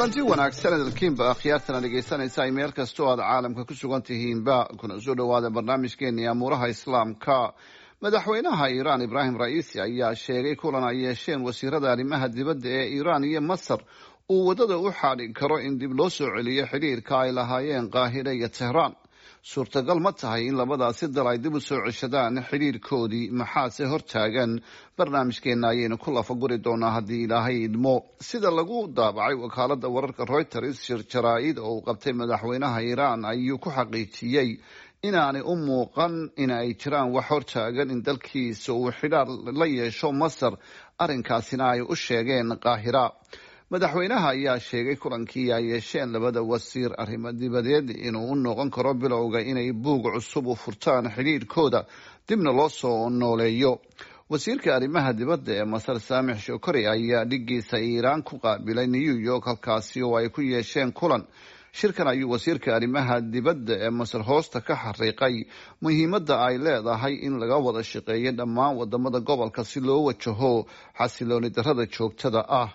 Kulanti wanaagsan hadalkiinba akhyaartana dhegaysanaysa ay meel kastoo aad caalamka ku sugan tihiinba, kuna soo dhawaada barnaamijkeeni amuuraha Islaamka. Madaxweynaha Iiraan Ibraahim Ra'iisi ayaa sheegay kulan ay yeesheen wasiirada arrimaha dibadda ee Iiraan iyo Masar uu waddada u xaadhi karo in dib loo soo celiyo xidhiirka ay lahaayeen Qaahire iyo Tehraan. Suurtagal ma tahay in labadaasi dal ay dib u soo ceshadaan xidhiirkoodii? Maxaase hortaagan? Barnaamijkeena ayaynu ku lafaguri doonaa haddii Ilaahay idmo. Sida lagu daabacay wakaalada wararka Reuters, shir jaraa-id oo uu qabtay madaxweynaha Iiraan ayuu ku xaqiijiyey inaanay u muuqan in ay jiraan wax hortaagan in dalkiisa uu xidhaar la yeesho Masar, arrinkaasina ay u sheegeen Qaahira. Madaxweynaha ayaa sheegay kulankii ay yeesheen labada wasiir arrimo dibadeed inuu u noqon karo bilowga inay buug cusub u furtaan xidhiirkooda, dibna loo soo nooleeyo. Wasiirka arrimaha dibadda ee Masar Saamix Shokori ayaa dhigiisa Iiraan ku qaabilay New York, halkaasi oo ay ku yeesheen kulan. Shirkan ayuu wasiirka arrimaha dibadda ee Masar hoosta ka xariiqay muhiimadda ay leedahay in laga wada shaqeeyo dhammaan wadamada gobolka si loo wajaho xasilooni darrada joogtada ah.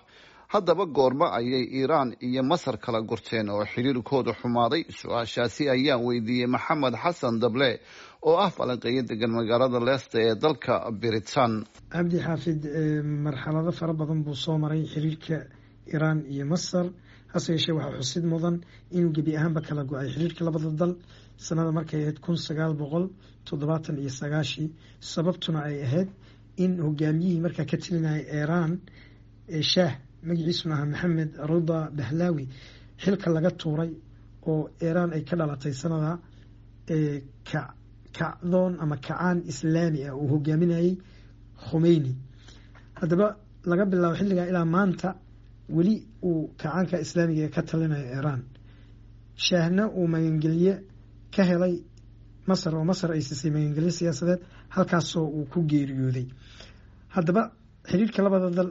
Haddaba goormo ayay Iiraan iyo Masar kala gurteen oo xiriirkooda xumaaday? Su-aashaasi ayaan weydiiyey Maxamed Xasan Dable oo ah falanqeeyo degan magaalada Leicester ee dalka Britain. Cabdi Xaafid, marxalado fara badan buu soo maray xiriirka Iiraan iyo Masar. Hase yeeshee, waxaa xusid mudan inuu gebi ahaanba kala go-ay xiriirka labada dal sanada markay ahayd 1979-kii, sababtuna ay ahayd in hogaamiyihii markaa ka telinayay Iiraan, shaah magaciisuna ahaa Maxamed Ruda Bahlaawi, xilka laga tuuray oo Iiraan ay ka dhalatay sanada kacdoon ama kacaan Islaami ah uu hogaaminayay Khumeyni. Haddaba laga bilaabo xilligaa ilaa maanta weli uu kacaanka Islaamiga ee ka talinaya Iiraan, shaahna uu magangelye ka helay Masar oo Masar ay siisay magangelye siyaasadeed, halkaasoo uu ku geeriyooday. Haddaba xiriirka labada dal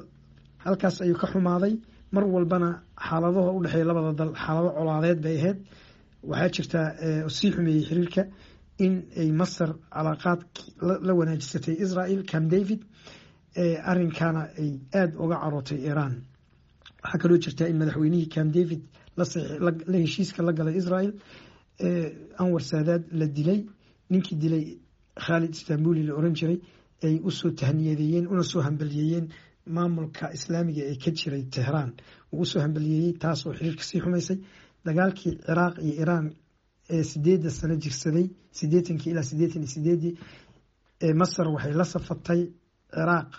halkaas ayuu ka xumaaday. Mar walbana xaaladaha u dhexeeya labada dal xaalado colaadeed bay ahayd. Waxaa jirtaa sii xumeeyey xiriirka in ay Masar calaaqaad la wanaajisatay Israel, Camp David, arinkaana ay aada uga carootay Iiraan. Waxaa kaloo jirtaa in madaxweynihii Camp David la heshiiska la galay Israel, Anwar Saadaad, la dilay. Ninkii dilay, Khaalid Istanbuli la oran jiray, ay usoo tahniyadeeyeen una soo hambaliyeeyeen maamulka Islaamiga ee ka jiray Tehraan uu usoo hambaliyeeyey, taas oo xiriirka sii xumaysay. Dagaalkii Ciraaq iyo Iiraan ee 8-da sano jirsaday, 80-kii ilaa 88-dii, Masar waxay la safatay Ciraaq.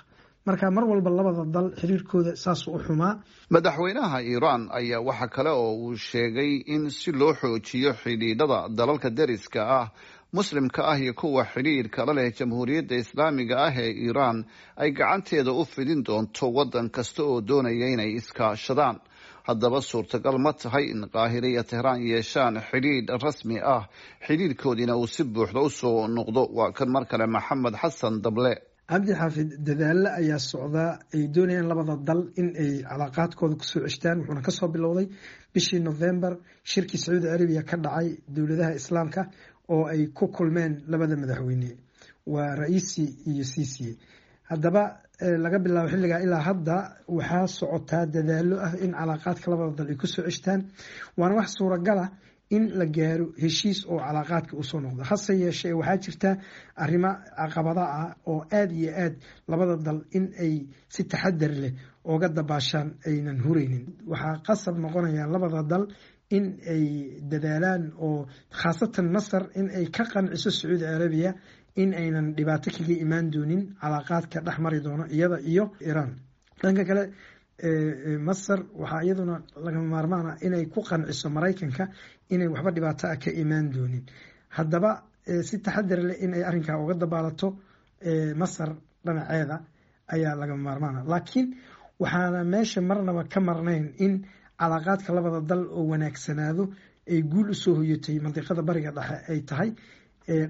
Marka mar walba labada dal xiriirkooda saasuu u xumaa. Madaxweynaha Iiraan ayaa waxa kale oo uu sheegay in si loo xoojiyo xidhiidhada dalalka deriska ah, Muslimka ah iyo kuwa xidhiidhka la leh Jamhuuriyadda Islaamiga ah ee Iiraan, ay gacanteeda u fidin doonto waddan kasta oo doonaya inay iskaashadaan. Haddaba suurtagal ma tahay in Qaahire iyo Tehraan yeeshaan xidhiidh rasmi ah, xidhiidhkoodiina uu si buuxda usoo noqdo? Waa kan mar kale Maxamed Xasan Dable. Cabdi Xaafid, dadaalo ayaa socdaa ay doonayaan labada dal in ay calaaqaadkooda kusoo ceshtaan, wuxuuna kasoo bilowday bishii November shirkii Sacuudi Carabiya ka dhacay dowladaha Islaamka oo ay ku kulmeen labada madaxweyne, waa Ra'iisi iyo Siisiye. Haddaba laga bilaabo xilligaa ilaa hadda waxaa socotaa dadaalo ah in calaaqaadka labada dal ay kusoo ceshtaan, waana wax suuragala in la gaaro heshiis oo calaaqaadka usoo noqdo. Hase yeeshee, waxaa jirta arrimo caqabada ah oo aada iyo aad labada dal in ay si taxadar leh ooga dabaashaan aynan hureynin. Waxaa qasab noqonaya labada dal in ay dadaalaan, oo khaasatan Masar in ay ka qanciso Sacuudi Carabiya in aynan dhibaato kaga imaan doonin calaaqaadka dhex mari doono iyada iyo Iiraan. Dhanka kale, Masar waxaa iyaduna lagama maarmaana inay ku qanciso Maraykanka inay waxba dhibaato ah ka imaan doonin. Haddaba si taxadar leh in ay arrinkaa uga dabaalato Masar dhinaceeda ayaa lagama maarmaana, laakiin waxaana meesha marnaba ka marnayn in calaaqaadka labada dal oo wanaagsanaado ay guul usoo hoyatay mandiqada Bariga Dhexe ay tahay,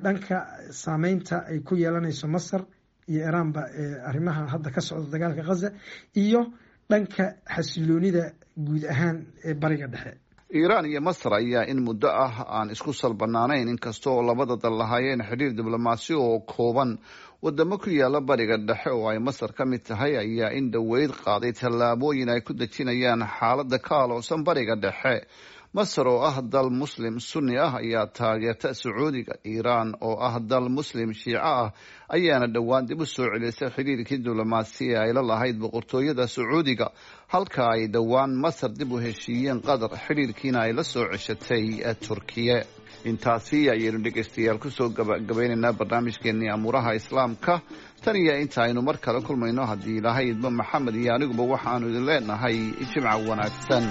dhanka saameynta ay ku yeelanayso Masar iyo Iiraanba arrimaha hadda ka socda dagaalka Ghaza iyo dhanka xasiloonida guud ahaan ee Bariga Dhexe. Iiraan iyo Masar ayaa in muddo ah aan isku salbanaanayn, inkasta oo labada dal lahaayeen xidhiir diblomaasi oo kooban. Wadamo ku yaala Bariga Dhexe oo ay Masar ka mid tahay ayaa in dhoweyd qaaday tallaabooyin ay ku dejinayaan xaaladda ka aloosan Bariga Dhexe. Masar oo ah dal Muslim Sunni ah ayaa taageerta Sacuudiga. Iiraan oo ah dal Muslim Shiico ah ayaana dhowaan dib u soo celisay xidhiirkii diblomaasi ee ay la lahayd boqortooyada Sacuudiga, halka ay dhowaan Masar dib u heshiiyeen Qatar, xidhiirkiina ay la soo ceshatay Turkiye. Intaasi ayaynu, dhegeystayaal, kusoo gabagabaynaynaa barnaamijkeenii amuuraha Islaamka. Tan iyo inta aynu mar kale kulmayno, haddii Ilaahay idmo, Maxamed iyo aniguba waxaanu idin leenahay jimca wanaagsan.